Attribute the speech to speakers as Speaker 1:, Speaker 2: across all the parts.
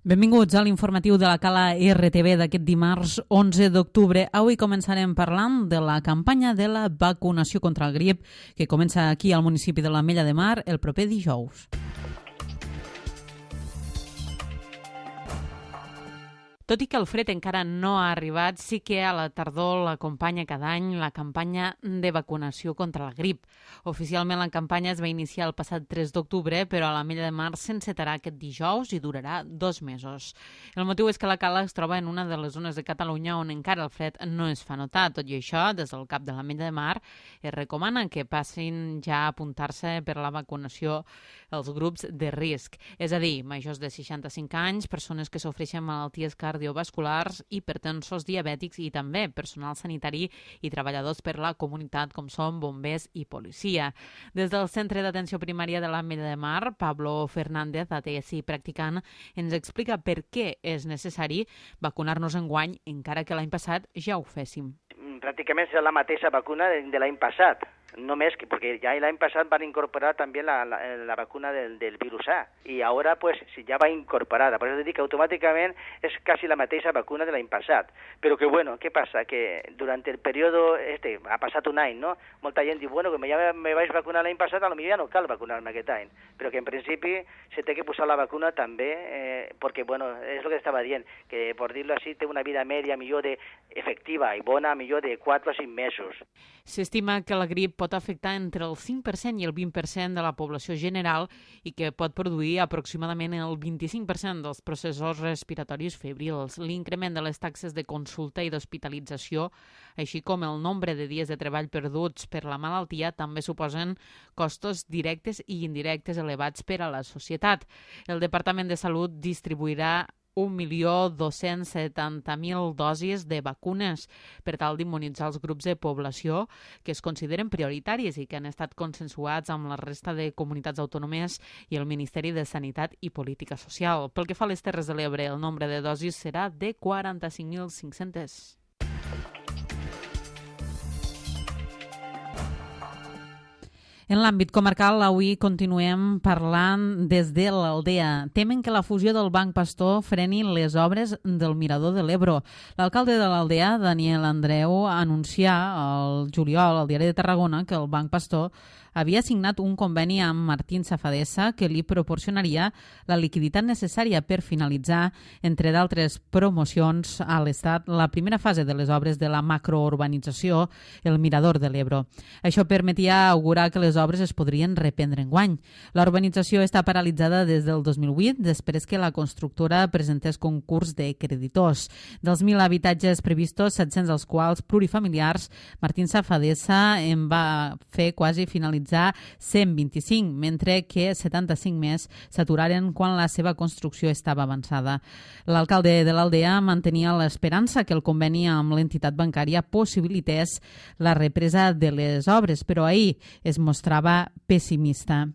Speaker 1: Benvinguts a l'informatiu de la Cala RTV d'aquest dimarts 11 d'octubre. Avui començarem parlant de la campanya de la vacunació contra el grip que comença aquí al municipi de l'Ametlla de Mar el proper dijous. Tot i que el fred encara no ha arribat, sí que a la tardor l'acompanya cada any la campanya de vacunació contra la grip. Oficialment la campanya es va iniciar el passat 3 d'octubre, però a l'Ametlla de Mar s'encetarà aquest dijous i durarà 2 mesos. El motiu és que la Cala es troba en una de les zones de Catalunya on encara el fred no es fa notar. Tot i això, des del cap de l'Ametlla de Mar es recomana que passin ja a apuntar-se per la vacunació els grups de risc, és a dir, majors de 65 anys, persones que sofreixen malalties cardiovasculars, hipertensos, diabètics i també personal sanitari i treballadors per la comunitat com són bombers i policia. Des del Centre d'Atenció Primària de l'Ametlla de Mar, Pablo Fernández, ATS i practicant, ens explica per què és necessari vacunar-nos enguany, encara que l'any passat ja ho féssim.
Speaker 2: Pràcticament serà la mateixa vacuna de l'any passat, només que porque ya el año pasado van a incorporar también la vacuna del virus A y ahora pues ya va incorporada, por eso te digo que automáticamente es casi la mateixa vacuna de l'any passat, però que bueno, què passa? Que durante el periodo ha passat un any, no? Molta gent diu, bueno, que ja me vaig vacunar l'any passat, potser ja no cal vacunar-me aquest any, però que en principi se té que posar la vacuna també, perquè bueno, és el que estava dient, que por dir-lo així té una vida media millor de efectiva i bona millor de 4 a 5 mesos.
Speaker 1: S'estima que la grip pot afectar entre el 5% i el 20% de la població general i que pot produir aproximadament el 25% dels processos respiratoris febrils. L'increment de les taxes de consulta i d'hospitalització, així com el nombre de dies de treball perduts per la malaltia, també suposen costos directes i indirectes elevats per a la societat. El Departament de Salut distribuirà 1.270.000 dosis de vacunes per tal d'immunitzar els grups de població que es consideren prioritaris i que han estat consensuats amb la resta de comunitats autònomes i el Ministeri de Sanitat i Política Social. Pel que fa a les Terres de l'Ebre, el nombre de dosis serà de 45.500. En l'àmbit comarcal, avui continuem parlant des de l'Aldea. Temen que la fusió del Banc Pastor freni les obres del Mirador de l'Ebro. L'alcalde de l'Aldea, Daniel Andreu, anuncià el juliol al Diari de Tarragona que el Banc Pastor havia signat un conveni amb Martín Safadesa que li proporcionaria la liquiditat necessària per finalitzar, entre d'altres promocions, a l'Estat la primera fase de les obres de la macrourbanització, el Mirador de l'Ebro. Això permetia augurar que les obres es podrien reprendre enguany. La urbanització està paralitzada des del 2008, després que la constructora presentés concurs de creditors. Dels 1.000 habitatges previstos, 700 dels quals plurifamiliars, Martín Safadesa en va fer quasi finalitzar 125, mentre que 75 més s'aturaren quan la seva construcció estava avançada. L'alcalde de l'Aldea mantenia l'esperança que el conveni amb l'entitat bancària possibilités la represa de les obres, però ahir es mostrava pessimista.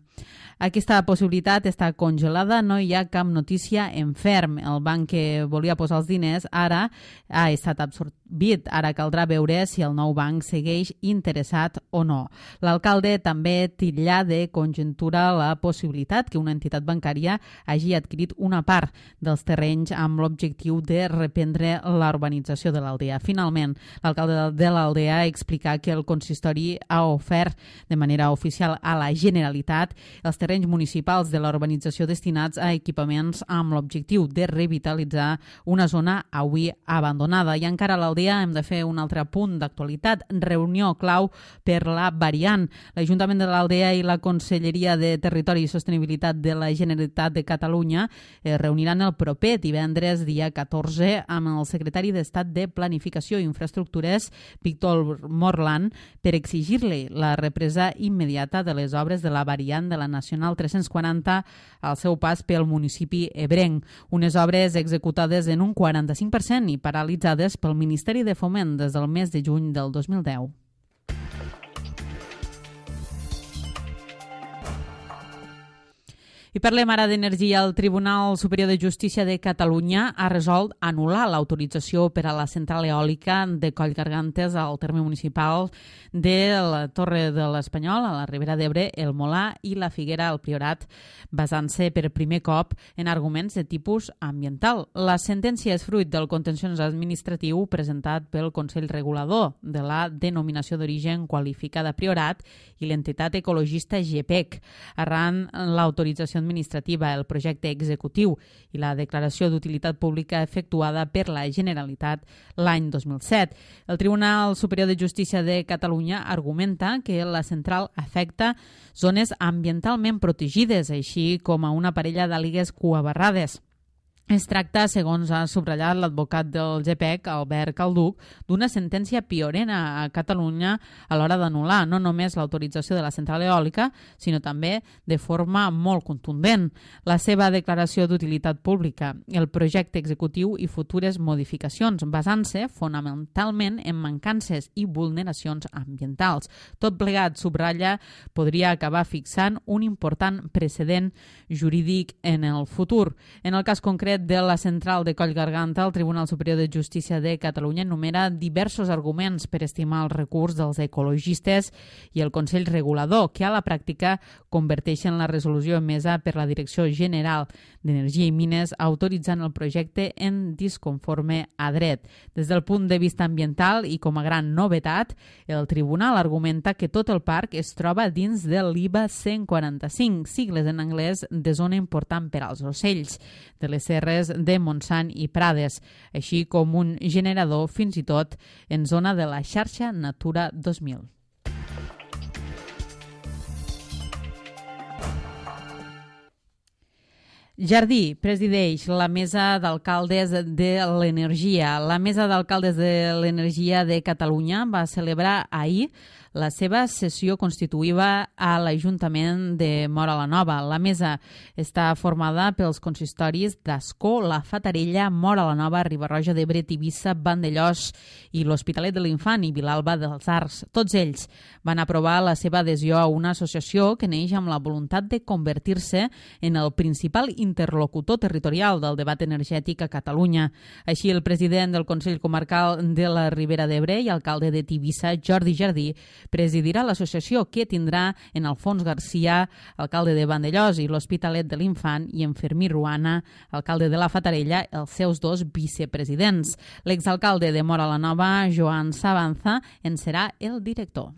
Speaker 1: Aquesta possibilitat està congelada, no hi ha cap notícia en ferm. El banc que volia posar els diners ara ha estat absorbit. Ara caldrà veure si el nou banc segueix interessat o no. L'alcalde també titlla de conjuntura la possibilitat que una entitat bancària hagi adquirit una part dels terrenys amb l'objectiu de reprendre la urbanització de l'Aldea. Finalment, l'alcalde de l'Aldea explica que el consistori ha ofert de manera oficial a la Generalitat els terrenys municipals de la urbanització destinats a equipaments amb l'objectiu de revitalitzar una zona avui abandonada. I encara a l'Aldea hem de fer un altre punt d'actualitat. Reunió clau per la variant. L'Ajuntament de l'Aldea i la Conselleria de Territori i Sostenibilitat de la Generalitat de Catalunya es reuniran el proper divendres, dia 14, amb el secretari d'Estat de Planificació i Infraestructures, Víctor Morland, per exigir-li la represa immediata de les obres de la variant de la Nacional 340 al seu pas pel municipi ebrenc. Unes obres executades en un 45% i paralitzades pel Ministeri de Foment des del mes de juny del 2010. I parlem ara d'energia. El Tribunal Superior de Justícia de Catalunya ha resolt anul·lar l'autorització per a la central eòlica de Collgargantes al terme municipal de la Torre de l'Espanyol, a la Ribera d'Ebre, el Molar i la Figuera al Priorat, basant-se per primer cop en arguments de tipus ambiental. La sentència és fruit del contenciós administratiu presentat pel Consell Regulador de la Denominació d'Origen Qualificada Priorat i l'entitat ecologista GPEC, arran l'autorització administrativa, el projecte executiu i la declaració d'utilitat pública efectuada per la Generalitat l'any 2007. El Tribunal Superior de Justícia de Catalunya argumenta que la central afecta zones ambientalment protegides, així com a una parella d'àligues cuabarrades. Es tracta, segons ha subratllat l'advocat del GPEC, Albert Calduc, d'una sentència pionera a Catalunya a l'hora d'anul·lar no només l'autorització de la central eòlica, sinó també de forma molt contundent. La seva declaració d'utilitat pública, el projecte executiu i futures modificacions, basant-se fonamentalment en mancances i vulneracions ambientals. Tot plegat, subratlla, podria acabar fixant un important precedent jurídic en el futur. En el cas concret de la central de Collgarganta, el Tribunal Superior de Justícia de Catalunya enumera diversos arguments per estimar el recurs dels ecologistes i el Consell Regulador, que a la pràctica converteixen la resolució emesa per la Direcció General d'Energia i Mines autoritzant el projecte en disconforme a dret. Des del punt de vista ambiental i com a gran novetat, el Tribunal argumenta que tot el parc es troba dins de l'IBA 145, sigles en anglès de zona important per als ocells, de les serres de Montsant i Prades, així com un generador fins i tot en zona de la xarxa Natura 2000. Jardí presideix la Mesa d'Alcaldes de l'Energia. La Mesa d'Alcaldes de l'Energia de Catalunya va celebrar ahir la seva sessió constitutiva a l'Ajuntament de Móra la Nova. La mesa està formada pels consistoris d'Ascó, la Fatarella, Móra la Nova, Riba-roja d'Ebre, Tivissa, Vandellòs i l'Hospitalet de l'Infant i Vilalba dels Arcs. Tots ells van aprovar la seva adhesió a una associació que neix amb la voluntat de convertir-se en el principal interlocutor territorial del debat energètic a Catalunya. Així, el president del Consell Comarcal de la Ribera d'Ebre i alcalde de Tivissa, Jordi Jardí, presidirà l'associació, que tindrà en Alfons Garcia, alcalde de Vandellòs i l'Hospitalet de l'Infant, i en Fermí Ruana, alcalde de la Fatarella, els seus dos vicepresidents. L'exalcalde de Móra la Nova, Joan Sabanza, en serà el director.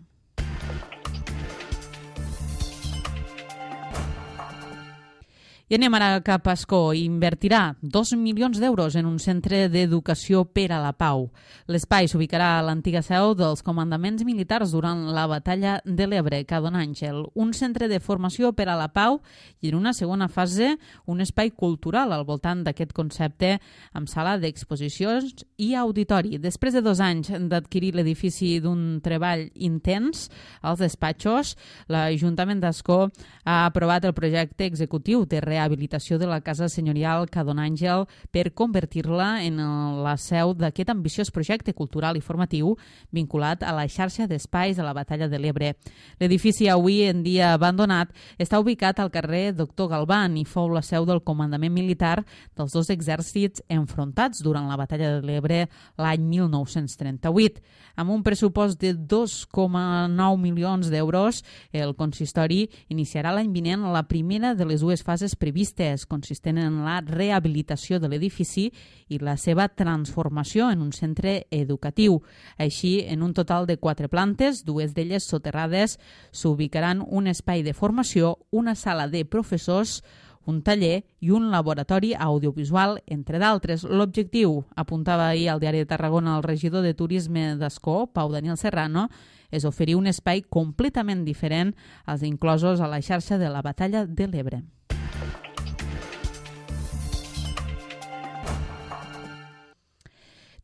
Speaker 1: I anem ara cap a Ascó. Invertirà 2 milions d'euros en un centre d'educació per a la pau. L'espai s'ubicarà a l'antiga seu dels comandaments militars durant la batalla de l'Ebre, Cadon Àngel. Un centre de formació per a la pau i, en una segona fase, un espai cultural al voltant d'aquest concepte amb sala d'exposicions i auditori. Després de 2 anys d'adquirir l'edifici d'un treball intens als despatxos, l'Ajuntament d'Ascó ha aprovat el projecte executiu de rehabilitació de la Casa Senyorial Cadon Àngel per convertir-la en la seu d'aquest ambiciós projecte cultural i formatiu vinculat a la xarxa d'espais de la batalla de l'Ebre. L'edifici, avui en dia abandonat, està ubicat al carrer Doctor Galván i fou la seu del comandament militar dels dos exèrcits enfrontats durant la batalla de l'Ebre l'any 1938. Amb un pressupost de 2,9 milions d'euros, el consistori iniciarà l'any vinent la primera de les dues fases previstes, consistent en la rehabilitació de l'edifici i la seva transformació en un centre educatiu. Així, en un total de 4 plantes, 2 d'elles soterrades, s'ubicaran un espai de formació, una sala de professors, un taller i un laboratori audiovisual, entre d'altres. L'objectiu, apuntava ahir al Diari de Tarragona el regidor de Turisme d'Ascó, Pau Daniel Serrano, és oferir un espai completament diferent als inclosos a la xarxa de la batalla de l'Ebre.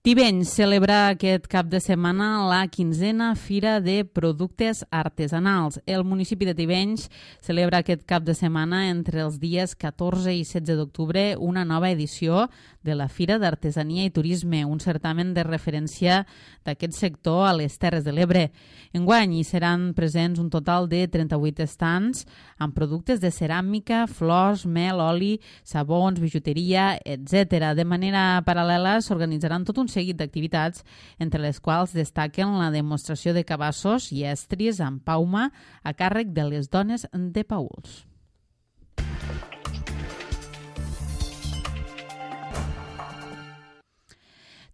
Speaker 1: Tivenys celebra aquest cap de setmana la 15a Fira de Productes Artesanals. El municipi de Tivenys celebra aquest cap de setmana entre els dies 14 i 16 d'octubre una nova edició de la Fira d'Artesania i Turisme, un certamen de referència d'aquest sector a les Terres de l'Ebre. Enguany hi seran presents un total de 38 estants amb productes de ceràmica, flors, mel, oli, sabons, bijuteria, etc. De manera paral·lela s'organitzaran tot un seguit d'activitats, entre les quals destaquen la demostració de cabassos i estris amb pauma a càrrec de les dones de Pauls.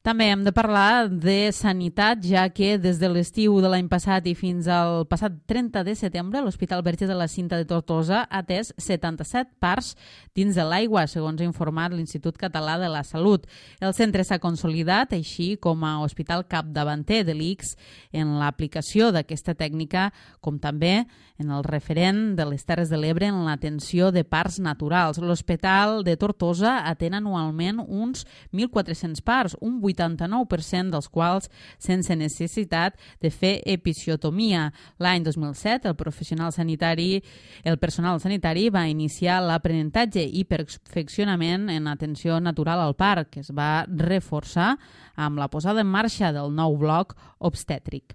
Speaker 1: També hem de parlar de sanitat, ja que des de l'estiu de l'any passat i fins al passat 30 de setembre l'Hospital Verge de la Cinta de Tortosa ha atès 77 parts dins de l'aigua, segons ha informat l'Institut Català de la Salut. El centre s'ha consolidat, així com a hospital capdavanter de l'ICS en l'aplicació d'aquesta tècnica, com també en el referent de les Terres de l'Ebre en l'atenció de parts naturals. L'Hospital de Tortosa atén anualment uns 1.400 parts, un 89% dels quals sense necessitat de fer episiotomia. L'any 2007, el personal sanitari va iniciar l'aprenentatge i perfeccionament en atenció natural al parc, que es va reforçar amb la posada en marxa del nou bloc obstètric.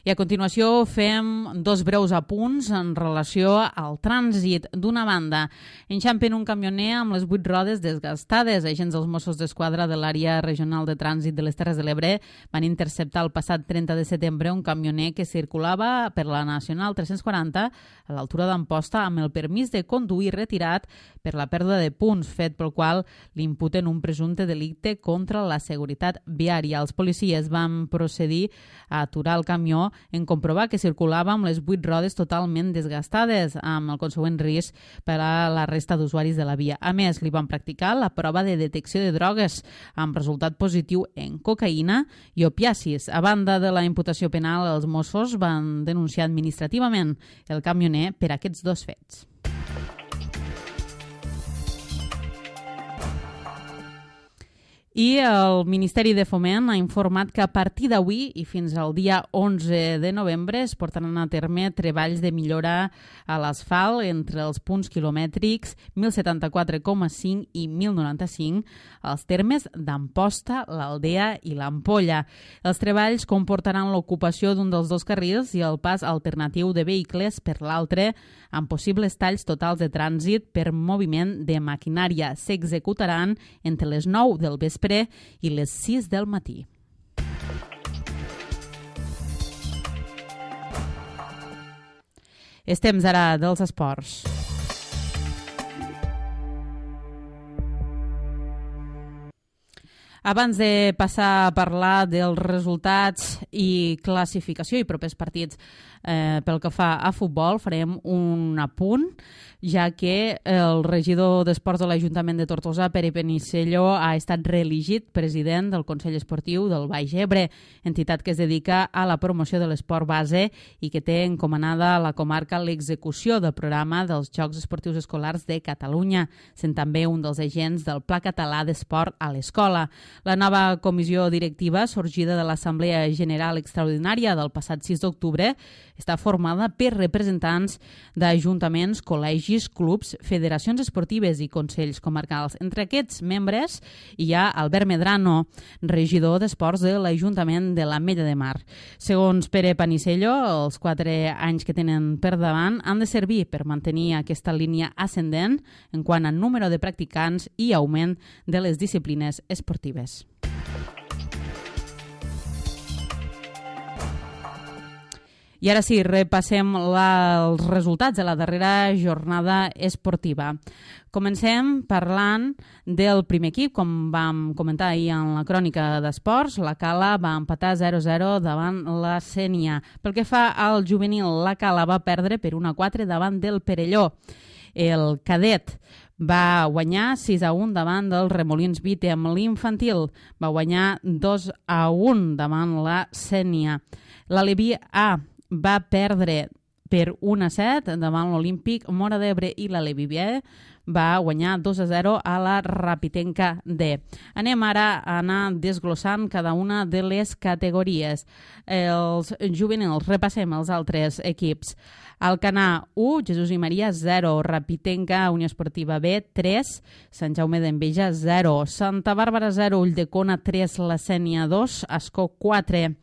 Speaker 1: I a continuació fem dos breus apunts en relació al trànsit. D'una banda, enxampen un camioner amb les 8 rodes desgastades. Agents dels Mossos d'Esquadra de l'àrea regional de trànsit de les Terres de l'Ebre van interceptar el passat 30 de setembre un camioner que circulava per la Nacional 340 a l'altura d'Amposta amb el permís de conduir retirat per la pèrdua de punts, fet pel qual li imputen un presumpte delicte contra la seguretat viària. Els policies van procedir a aturar el camió en comprovar que circulava amb les 8 rodes totalment desgastades, amb el consegüent risc per a la resta d'usuaris de la via. A més, li van practicar la prova de detecció de drogues, amb resultat positiu en cocaïna i opiacis. A banda de la imputació penal, els Mossos van denunciar administrativament el camioner per aquests dos fets. I el Ministeri de Foment ha informat que a partir d'avui i fins al dia 11 de novembre es portaran a terme treballs de millora a l'asfalt entre els punts quilomètrics 1074,5 i 1095 als termes d'Amposta, l'Aldea i l'Ampolla. Els treballs comportaran l'ocupació d'un dels dos carrils i el pas alternatiu de vehicles per l'altre, amb possibles talls totals de trànsit per moviment de maquinària. S'executaran entre les 9 del vespre i les 6 del matí. És temps ara dels esports. Abans de passar a parlar dels resultats i classificació i propers partits pel que fa a futbol, farem un apunt, ja que el regidor d'Esports de l'Ajuntament de Tortosa, Pere Penicello, ha estat reelegit president del Consell Esportiu del Baix Ebre, entitat que es dedica a la promoció de l'esport base i que té encomanada a la comarca l'execució del programa dels Jocs Esportius Escolars de Catalunya, sent també un dels agents del Pla Català d'Esport a l'Escola. La nova comissió directiva, sorgida de l'Assemblea General Extraordinària del passat 6 d'octubre, està formada per representants d'ajuntaments, col·legis, clubs, federacions esportives i consells comarcals. Entre aquests membres hi ha Albert Medrano, regidor d'Esports de l'Ajuntament de l'Ametlla de Mar. Segons Pere Penicello, els 4 anys que tenen per davant han de servir per mantenir aquesta línia ascendent en quant a número de practicants i augment de les disciplines esportives. I ara sí, repassem els resultats de la darrera jornada esportiva. Comencem parlant del primer equip, com vam comentar ahir en la crònica d'esports. La Cala va empatar 0-0 davant la Sénia. Pel que fa al juvenil, la Cala va perdre per 1-4 davant del Perelló. El cadet va guanyar 6-1 davant del Remolins Vítem. L'infantil va guanyar 2-1 davant la Sénia. L'Aleví A va perdre per 1-7 davant l'Olímpic Móra d'Ebre i la Levi B va guanyar 2-0 a la Rapitenca D. Anem ara a anar desglossant cada una de les categories. Els juvenils, repassem els altres equips. Alcanar 1, Jesús i Maria 0, Rapitenca, Unió Esportiva B 3, Sant Jaume d'Enveja 0, Santa Bàrbara 0, Ulldecona 3, La Sénia 2, Ascó 4.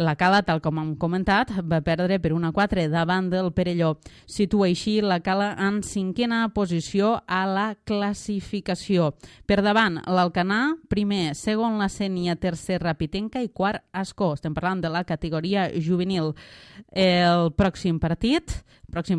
Speaker 1: La Cala, tal com hem comentat, va perdre per 1-4 davant del Perelló. Situa així la Cala en 5a posició a la classificació. Per davant, l'Alcanar, primer, segon la Sénia, tercer Rapitenca i quart Ascó. Estem parlant de la categoria juvenil. El pròxim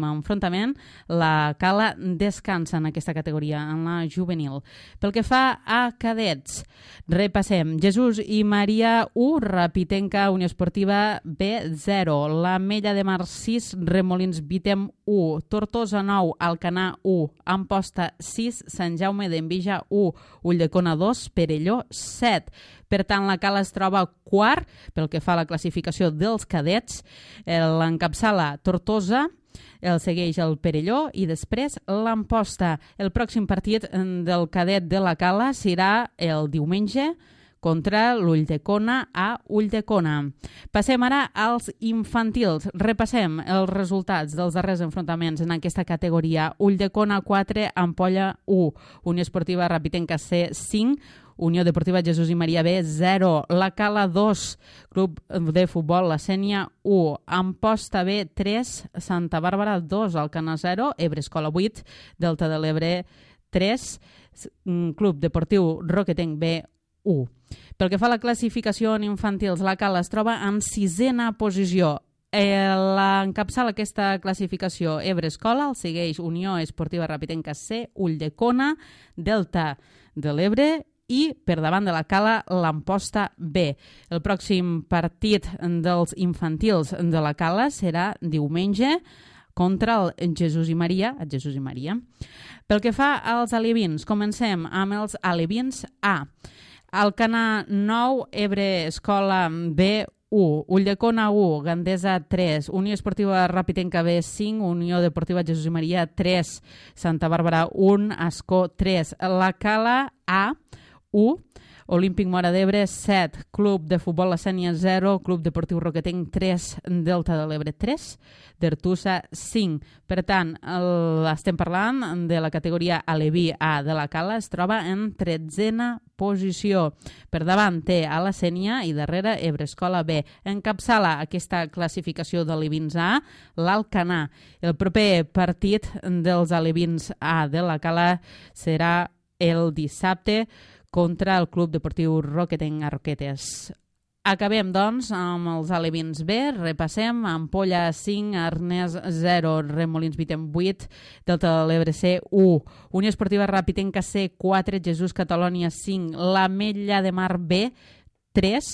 Speaker 1: enfrontament, la Cala descansa en aquesta categoria, en la juvenil. Pel que fa a cadets, repassem. Jesús i Maria 1, Rapitenca, Unió Esportiva B 0, la Mella de Mar 6, Remolins Vitem 1, Tortosa 9, Alcanar 1, Amposta 6, Sant Jaume d'Enveja 1, Ulldecona 2, Perelló 7. Per tant, la Cala es troba quart pel que fa a la classificació dels cadets. L'encapçala Tortosa, el segueix el Perelló i després l'Amposta. El pròxim partit del cadet de la Cala serà el diumenge contra l'Ulldecona a Ulldecona. Passem ara als infantils. Repassem els resultats dels darrers enfrontaments en aquesta categoria. Ulldecona 4, Ampolla 1, Unió Esportiva Rapitenca C 5, Unió Deportiva Jesús i Maria B 0, la Cala 2, Club de Futbol La Sénia 1, Amposta B 3, Santa Bàrbara 2, Alcanar 0, Ebre Escola 8, Delta de l'Ebre 3, Club Deportiu Roquetenc B 1. Pel que fa a la classificació en infantils, la Cala es troba en 6a posició. L'encapçala aquesta classificació Ebre Escola, el segueix Unió Esportiva Rapitenca C, Ulldecona, Delta de l'Ebre i per davant de la Cala l'Amposta B. El pròxim partit dels infantils de la Cala serà diumenge contra el Jesús i Maria, Pel que fa als alevins, comencem amb els alevins A. Alcanar 9, Ebre Escola B 1, Ulldecona 1, Gandesa 3, Unió Esportiva Rapitenca B 5, Unió Deportiva Jesús i Maria 3, Santa Bàrbara 1, Ascó 3, la Cala A 1, Olímpic Móra d'Ebre 7, Club de Futbol La Sénia 0, Club Deportiu Roquetenc 3, Delta de l'Ebre 3, d'Artussa 5. Per tant, estem parlant de la categoria Aleví A de la Cala, es troba en 13a posició. Per davant té a la Sénia i darrere Ebre Escola B. Encapçala aquesta classificació d'alevins A l'Alcanar. El proper partit dels alevins A de la Cala serà el dissabte contra el Club Deportiu Roquetenc a Roquetes. Acabem, doncs, amb els alevins B. Repassem. Ampolla 5, Arnès 0, Remolins Vitem 8, Delta de l'Ebre C 1, Unió Esportiva Rapitenca C 4, Jesús Catalònia 5, la Mella de Mar B 3,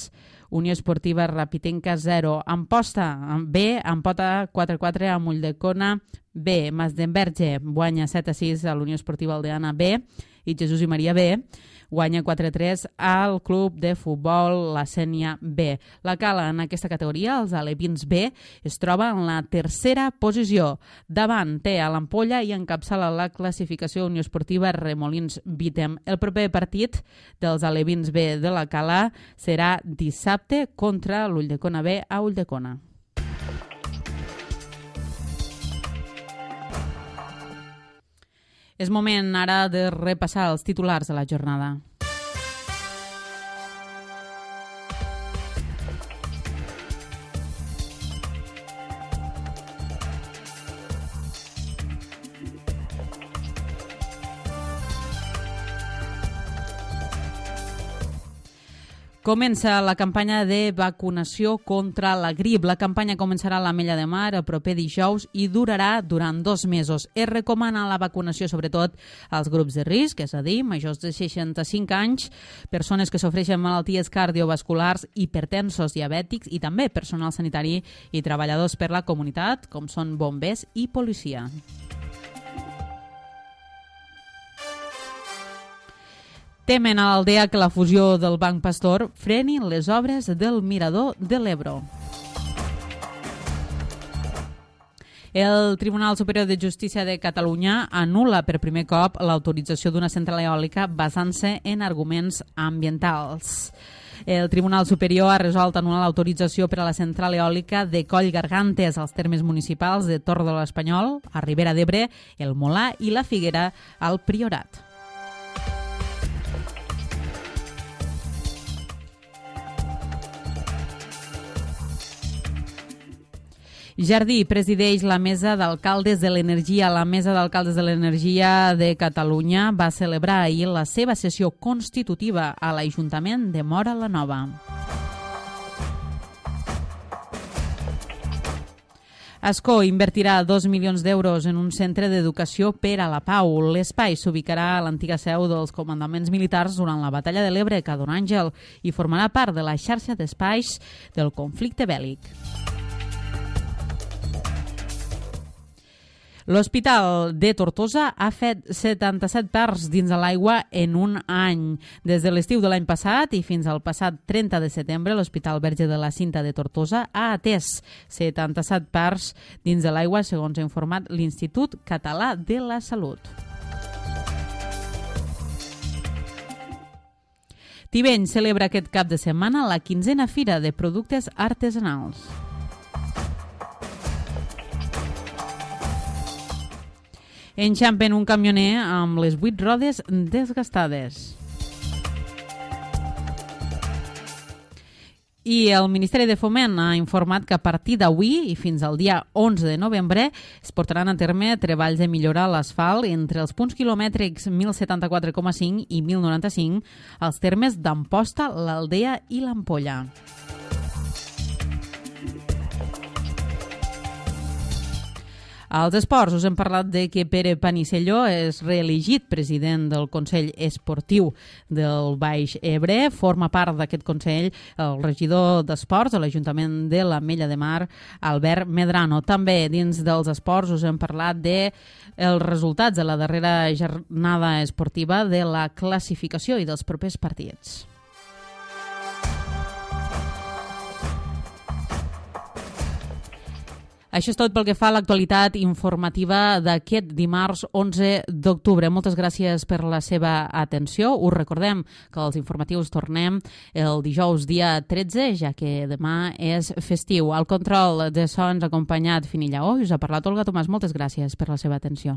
Speaker 1: Unió Esportiva Rapitenca 0, Amposta B, Ampota 4-4 amb Ulldecona B, Masdenverge guanya 7-6 a l'Unió Esportiva Aldeana B i Jesús i Maria B guanya 4-3 al Club de Futbol La Sénia B. La Cala en aquesta categoria, els alevins B, es troba en la tercera posició. Davant té a l'Ampolla i encapçala la classificació Unió Esportiva Remolins Vitem. El proper partit dels alevins B de la Cala serà dissabte contra l'Ulldecona B a Ulldecona. És moment ara de repassar els titulars de la jornada. Comença la campanya de vacunació contra la grip. La campanya començarà a l'Ametlla de Mar el proper dijous i durarà durant 2 mesos. Es recomana la vacunació sobretot als grups de risc, és a dir, majors de 65 anys, persones que sofreixen malalties cardiovasculars, hipertensos, diabètics i també personal sanitari i treballadors per la comunitat, com són bombers i policia. Temen a l'Aldea que la fusió del Banc Pastor freni les obres del Mirador de l'Ebro. El Tribunal Superior de Justícia de Catalunya anul·la per primer cop l'autorització d'una central eòlica basant-se en arguments ambientals. El Tribunal Superior ha resolt anul·lar l'autorització per a la central eòlica de Coll Gargantes als termes municipals de Tor de l'Espanyol, a Ribera d'Ebre, el Molar i la Figuera al Priorat. Jardí presideix la Mesa d'Alcaldes de l'Energia. La Mesa d'Alcaldes de l'Energia de Catalunya va celebrar ahir la seva sessió constitutiva a l'Ajuntament de Móra la Nova. Ascó invertirà 2 milions d'euros en un centre d'educació per a la pau. L'espai s'ubicarà a l'antiga seu dels comandaments militars durant la batalla de l'Ebre, a Don Àngel, i formarà part de la xarxa d'espais del conflicte bèl·lic. L'Hospital de Tortosa ha fet 77 parts dins de l'aigua en un any. Des de l'estiu de l'any passat i fins al passat 30 de setembre, l'Hospital Verge de la Cinta de Tortosa ha atès 77 parts dins de l'aigua, segons ha informat l'Institut Català de la Salut. Tibeny celebra aquest cap de setmana la 15a Fira de Productes Artesanals. Enxampen un camioner amb les 8 rodes desgastades. I el Ministeri de Foment ha informat que a partir d'avui i fins al dia 11 de novembre es portaran a terme treballs de millorar l'asfalt entre els punts quilomètrics 1074,5 i 1095 als termes d'Amposta, l'Aldea i l'Ampolla. Als esports us hem parlat de que Pere Panicelló és reelegit president del Consell Esportiu del Baix Ebre. Forma part d'aquest Consell el regidor d'Esports de l'Ajuntament de l'Ametlla de Mar, Albert Medrano. També dins dels esports us hem parlat dels resultats de la darrera jornada esportiva, de la classificació i dels propers partits. Això és tot pel que fa a l'actualitat informativa d'aquest dimarts 11 d'octubre. Moltes gràcies per la seva atenció. Us recordem que els informatius tornem el dijous dia 13, ja que demà és festiu. Al control de sons acompanyat Fini Lleó i us ha parlat Olga Tomàs. Moltes gràcies per la seva atenció.